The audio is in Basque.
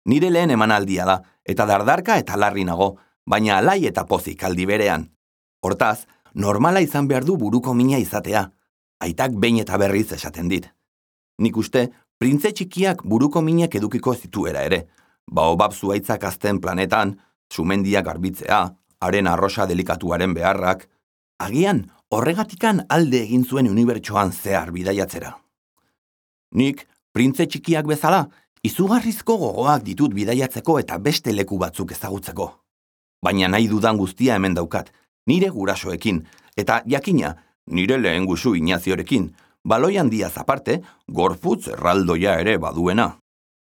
Nire lehen emanaldia da, eta dardarka eta larri nago, baina alai eta pozik aldi berean. Hortaz, normala izan behar du buruko mina izatea. Aitak behin eta berriz esaten dit. Nik uste, printze txikiak buruko minek edukiko zituera ere. Baobab zuaitzak azten planetan, sumendiak garbitzea, haren arrosa delikatuaren beharrak. Agian, horregatikan alde egin zuen unibertsoan zehar bidaiatzera. Nik, printze txikiak bezala, izugarrizko gogoak ditut bidaiatzeko eta beste leku batzuk ezagutzeko. Baina nahi dudan guztia hemen daukat, nire gurasoekin, eta jakina, nire lehen gusu Inaziorekin, baloi handiaz aparte, gorputz erraldoia ere baduena.